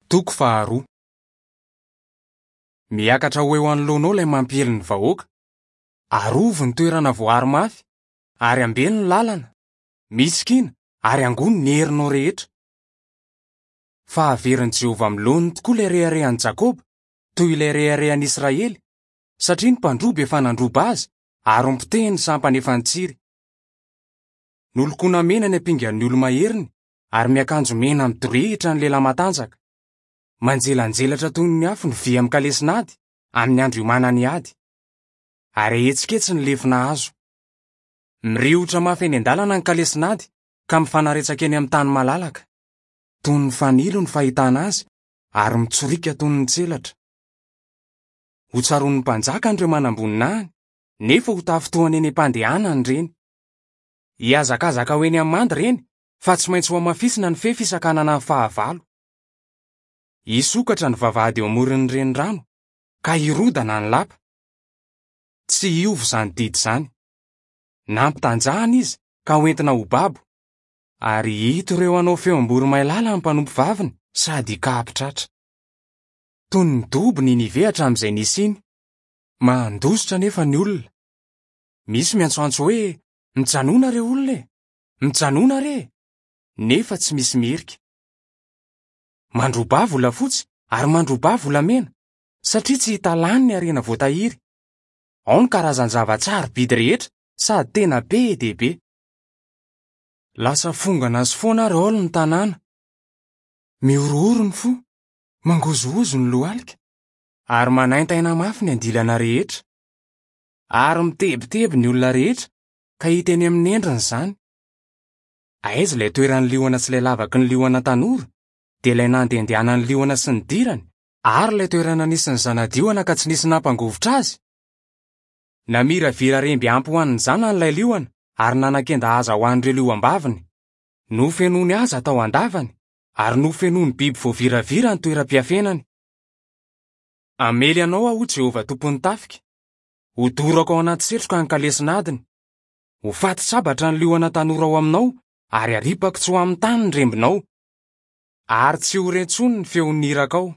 Toko faharoa. Miakatra ho eo anoloanao ilay mampiely ny vahoaka. Arovy ny toerana voaaro mafy, ary ambeno ny lalana. Misikina ary angony ny herinao rehetra. Fa haverin'i Jehovah amin'ny laoniny tokoa ilay reharehan'i Jakoba, toy ilay reharehan'i Israely, satria ny mpandroba efa nandroba azy ary nopotehiny ny sampany efa nitsiry. Nolokoina mena ny ampingan'ny olo-maheriny ary miakanjo mena midorehitra ny lehilahy matanjaka. Manjelanjelatra toy ny afo ny vy amin'ny kalesin'ady amin'ny andro iomanany hiady. Ary ahetsiketsy ny lefona hazo. Miriotra mafy eny an-dalana ny kalesin'ady ka mifanaretsaka eny amin'ny tany malalaka. Toy ny fanilo ny fahitana azy ary mitsoriaka toy ny tselatra. Hotsaroan'ny mpanjaka ireo manamboninahiny, nefa ho tafintohana eny am-pandehanana ireny. Hihazakazaka ho eny amin'ny manda ireny fa tsy maintsy hohamafisina ny fefy hisakanana ny fahavalo. Hisokatra ny vavahady eo amoron'ny renirano, ka hirodana ny lapa. Tsy hiova izany didy izany. Nampitanjahana izy ka hoentina ho babo, ary hito ireo hanao feom-boromailala ny mpanompovaviny sady hikapo-tratra. Toy ny dobo Ninive hatramin'izay nisiany. Mandositra anefa ny olona. Misy miantsoantso hoe, Mijanòna re olona e! Mijanòna re e! Nefa tsy misy miherika. Mandrobà volafotsy ary mandrobà volamena, satria tsy hita lany ny harena voatahiry. Ao ny karazan-java-tsarobidy rehetra sady tena be dia be. Lasa fongana sy foana ary aolo ny tanàna. Mihorohoro ny fo, mangozohozo ny lohalika, ary manaintaina mafy ny andilana rehetra. Ary mitebiteby ny olona rehetra ka hita eny amin'ny endriny izany. Aiza ilay toeran'ny liona sy ilay lavaky ny liona tanora, dia ilay nandehandehanan'ny liona sy nidirany, ary ilay toerana nisy ny zana-diona ka tsy nisy nampangovitra azy? Namiravira remby ampy ho an'ny zanany ilay liona ary nanakenda haza ho an'ireo liom-baviny. Nofenoiny haza tao an-davany ary nofenoiny biby voaviravira ny toeram-piafenany. Hamely anao aho, hoy Jehovah Tompon'ny tafika. Hodorako ao anaty setroka ny kalesin'adiny. Ho faty sabatra ny liona tanora ao aminao ary haripako tsy ho amin'ny tany ny rembinao. Ary tsy ho re intsony ny feon'ny irakao.